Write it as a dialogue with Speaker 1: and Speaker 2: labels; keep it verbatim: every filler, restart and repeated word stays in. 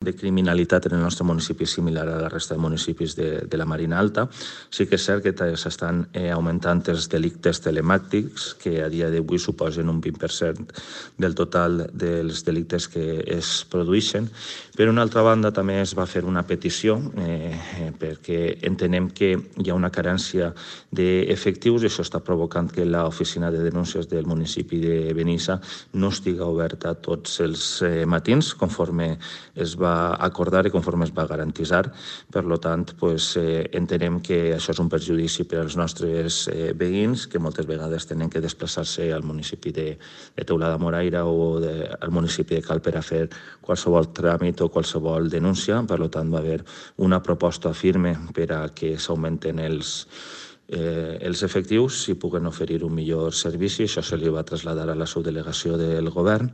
Speaker 1: de criminalitat en el nostre municipi és similar a la resta de municipis de, de la Marina Alta. Sí que és cert que s'estan eh, augmentant els delictes telemàtics, que a dia d'avui suposen un vint per cent del total dels delictes que es produeixen. Per una altra banda, també es va fer una petició eh, perquè entenem que hi ha una carència d'efectius i això està provocant que l'oficina de denúncies del municipi de Benissa no estiga oberta tots els eh, matins, conforme es va acordar i conforme es va garantitzar. Per tant, pues, eh, entenem que això és un perjudici per als nostres eh, veïns, que moltes vegades tenen que desplaçar-se al municipi de, de Teulada Moraira o de, al municipi de Cal per a fer qualsevol tràmit o qualsevol denúncia. Per tant, va haver una proposta firme per a que s'augmenten els Eh, els efectius i puguen oferir un millor servici. Això se li va traslladar a la subdelegació del govern